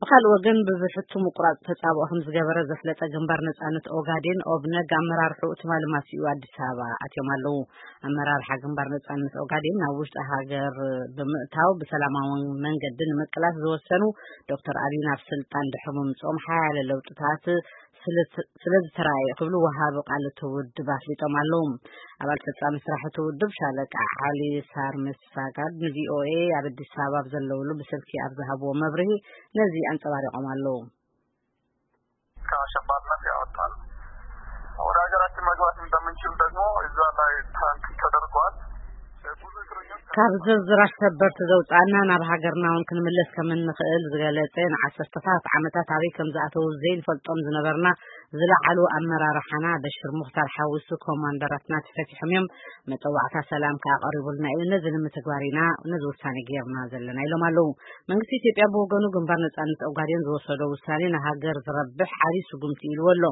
ብካልእ ወገን፣ ብብሕቱ ምቁራጽ ተጻብኦ ከም ዝገበረ ዘፍለጠ ግንባር ነጻነት ኦጋዴን፣ ኦብነግ፣ ኣመራርሕኡ ትማሊ ማሲኡ ኣዲስ ኣበባ ኣትዮም ኣለዉ። ኣመራርሓ ግንባር ነጻነት ኦጋዴን ናብ ውሽጢ ሃገር ብምእታው ብሰላማዊ መንገዲ ንምቅላስ ዝወሰኑ ዶክተር ኣቢይ ናብ ስልጣን ድሕሪ ምምጽኦም ሓያለ ለውጥታት ስለ ዝተራእየ ክብሉ ወሃቢ ቃል እቲ ውድብ ኣፍሊጦም ኣለዉ። ኣባል ፈጻሚ ስራሕ እቲ ውድብ ሻለቃ ዓሊ ሳርምስ ሳጋድ ንቪኦኤ ኣብ ኣዲስ ኣበባ ኣብ ዘለውሉ ብስልኪ ኣብ ዝሃብዎ መብርሂ ነዚ ኣንጸባሪቖም ኣለዉ። ከአሸባሪነት ያወጣል። ወደ ሀገራችን መግባት እንደምንችል ደግሞ እዛ ላይ ትራንስ ተደርጓል። ካብ ዝርዝር ኣሸበርቲ ዘውጻና ናብ ሃገርና እውን ክንምለስ ከም እንኽእል ዝገለጸ፣ ንዓሰርተታት ዓመታት ኣበይ ከም ዝኣተዉ ዘይንፈልጦም ዝነበርና ዝለዓሉ ኣመራርሓና በሽር ሙኽታር ሓዊሱ ኮማንደራትና ተፈቲሖም እዮም። መጸዋዕታ ሰላም ከኣ ቀሪቡልና እዩ። ነዚ ንምትግባር ኢና ነዚ ውሳኔ ጌርና ዘለና ኢሎም ኣለዉ። መንግስቲ ኢትዮጵያ ብወገኑ ግንባር ነጻነት ኦጋዴን ዝወሰዶ ውሳኔ ንሃገር ዝረብሕ ዓቢ ስጉምቲ ኢልዎ ኣሎ።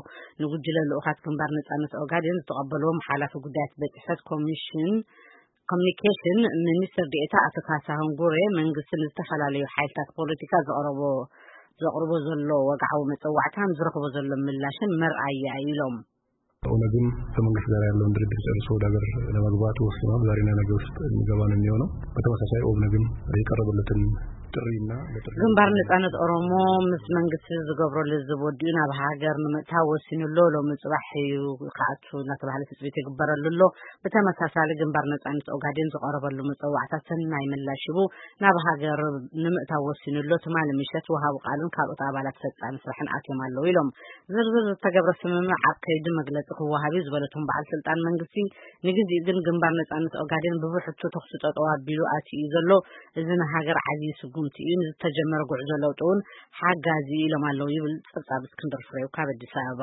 ንጉጅለ ልኡኻት ግንባር ነጻነት ኦጋዴን ዝተቐበልዎም ሓላፊ ጉዳያት ቤት ጽሕፈት ኮሚሽን ኮሚኒኬሽን ሚኒስትር ዴኤታ ኣቶ ካሳሁን ጉሬ፣ መንግስቲ ንዝተፈላለዩ ሓይልታት ፖለቲካ ዘቕረቦ ዘቕርቦ ዘሎ ወግዓዊ መጸዋዕታን ዝረኽቦ ዘሎ ምላሽን መርኣያ እዩ ኢሎም። ኦነግም ከመንግስት ጋር ያለውን ድርድር ጨርሶ ወደ ሀገር ለመግባት ወስኗል። ዛሬና ነገ ውስጥ የሚገባ ነው የሚሆነው። በተመሳሳይ ኦብነግም የቀረበለትን ጥሪና ግንባር ነጻነት ኦሮሞ ምስ መንግስቲ ዝገብሮ ልዝብ ወዲኡ ናብ ሃገር ንምእታው ወሲኑ ኣሎ። ሎሚ ጽባሕ እዩ ክኣቱ እናተባህለ ትጽቢት ይግበረሉ ኣሎ። ብተመሳሳሊ ግንባር ነጻነት ኦጋዴን ዝቐረበሉ መጸዋዕታ ሰናይ ምላሽ ሂቡ ናብ ሃገር ንምእታው ወሲኑ ኣሎ። ትማሊ ምሸት ወሃቢ ቃልን ካልኦት ኣባላት ፈጻሚ ስራሕን ኣትዮም ኣለዉ ኢሎም። ዝርዝር ዝተገብረ ስምምዕ ኣብ ከይዲ መግለጺ ክወሃብ እዩ ዝበለቶም በዓል ስልጣን መንግስቲ፣ ንግዜኡ ግን ግንባር ነጻነት ኦጋዴን ብብሕቱ ተኹሲ ጠጠው ኣቢሉ ኣትዩ እዩ ዘሎ። እዚ ንሃገር ዓብዪ ስጉምቲ እዩ። ንዝተጀመረ ጉዕዞ ለውጢ እውን ሓጋዚ እዩ ኢሎም ኣለዉ ይብል ጸብጻብ እስክንድር ፍሬው ካብ ኣዲስ ኣበባ።